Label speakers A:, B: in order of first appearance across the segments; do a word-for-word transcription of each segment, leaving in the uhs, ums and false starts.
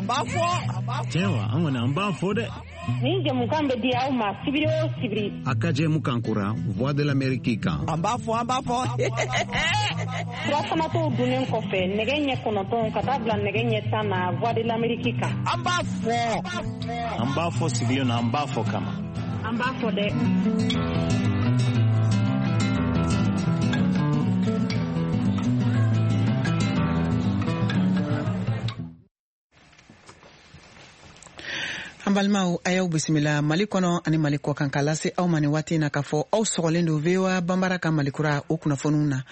A: An b'a fɔ.
B: Tiɲɛ wa, an kɔni an b'a fɔ dɛ.
C: Nin jɛmukan bɛ di aw ma sibiri o sibiri.
D: A ka jɛmukan kura Voix de l'Amérique kan.
A: An b'a fɔ, an b'a fɔ.
C: Surafanatɔw dunnen kɔfɛ nɛgɛ ɲɛ kɔnɔntɔn ka taa bila nɛgɛ ɲɛ tan na Voix de l'Amérique kan.
A: An b'a fɔ.
B: An b'a fɔ sigilen na, an b'a fɔ kama.
C: An b'a fɔ dɛ.
E: An balimaw, a y'aw bisimila Mali kɔnɔ ani Mali kɔ kan, k'a lase aw ma nin waati in na k'a fɔ aw sɔgɔlen don V O A Banbara ka Malikura o kunnafoniw na.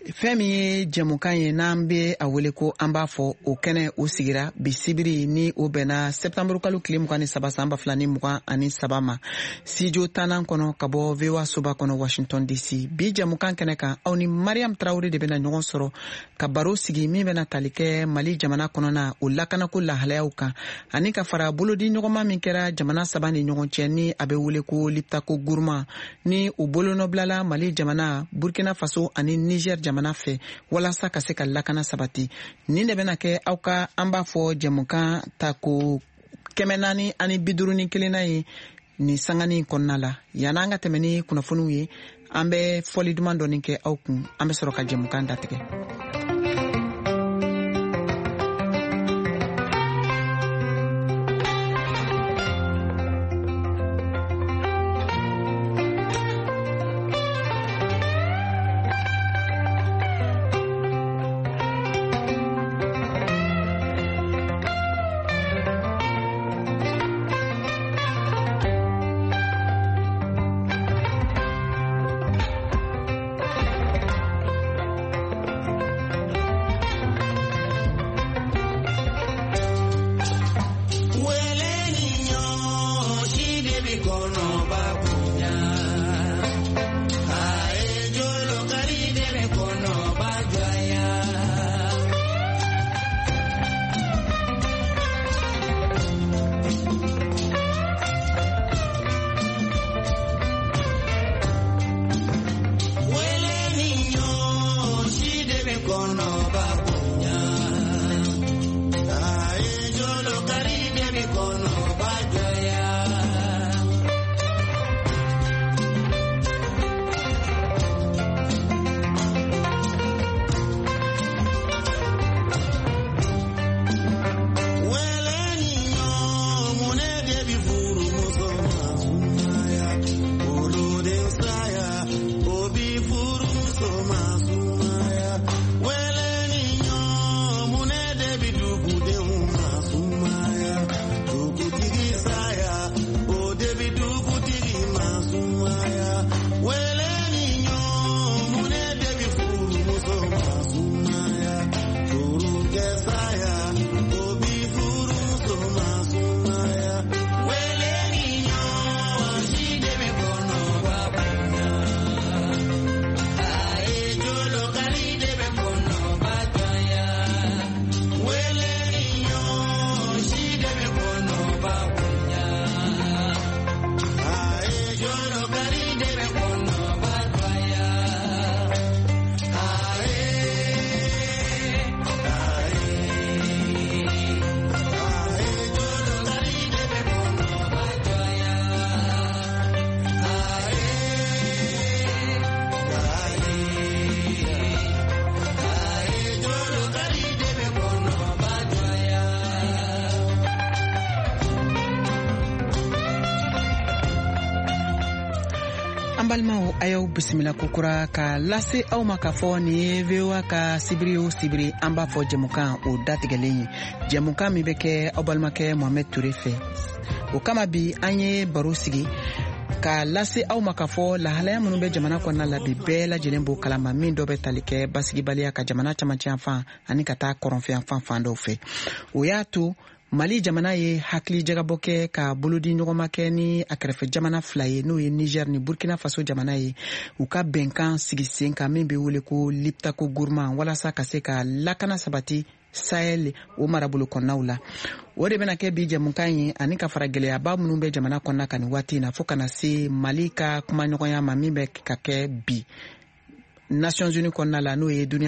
E: Fɛn min ye jɛmukan ye n'an bɛ a wele ko an b'a fɔ, o kɛnɛ o sigira bi sibiri ni o bɛnna sɛptanburu kalo tile mugan ni saba san ba fila ni mugan ani saba ma, studio tannan kɔnɔ ka bɔ V O A soba kɔnɔ Washington D C. Bi jɛmukan kɛnɛ kan, aw ni Mariam Traoré de bɛna ɲɔgɔn sɔrɔ ka baro sigi min bɛna tali kɛ Mali jamana kɔnɔna o lakanako lahalayaw kan, ani ka fara bolodi ɲɔgɔnma min kɛra jamana saba ni ɲɔgɔn cɛ ni a bɛ wele ko Liptako Gourma, ni o bolonɔbilala Mali jamana, Burkina Faso ani Niger jamana fɛ walasa ka se ka lakana sabati. Nin de bɛna kɛ aw ka an b'a fɔ jɛmukan ta ko kɛmɛ naani ani bi duuru ni kelenna ye nin sanganin kɔnɔna la. Yan'an ka tɛmɛ ni kunnafoniw ye, an bɛ fɔli duman dɔɔni kɛ aw kun, an bɛ sɔrɔ ka jɛmukan datigɛ. An balimaw, a y'aw bisimila kokura ka lase aw ma k'a fɔ nin ye V O A ka sibiri o sibiri an b'a fɔ jɛmukan o datigɛlen ye, jɛmukan min bɛ kɛ aw balimakɛ Mohamed Touré fɛ. O kama bi an ye baro sigi ka lase aw ma k'a fɔ lahalaya minnu bɛ jamana kɔnɔna la bi, bɛɛ lajɛlen b'o kalama, min dɔ bɛ tali kɛ basigibaliya ka jamana camancɛ yanfan ani ka taa kɔrɔnfɛ yanfan fan dɔw fɛ. O y'a to Mali jamana ye hakili jagabɔ kɛ ka bolodi ɲɔgɔnma kɛ ni a kɛrɛfɛ jamana fila ye, n'o ye Niger ni Burkina Faso jamana ye, u ka bɛnkan sigi sen kan min bɛ wele ko Liptako Gourma, walasa ka se ka lakana sabati Sahel o marabolo kɔnɔnaw la. O de bɛna kɛ bi jɛmukan ye, ani ka fara gɛlɛyaba minnu bɛ jamana kɔnɔna kan nin waati in na, fo ka na se Mali ka kumaɲɔgɔnya ma min bɛ ka kɛ bi Nations Unies kɔnɔna la, n'o ye duniya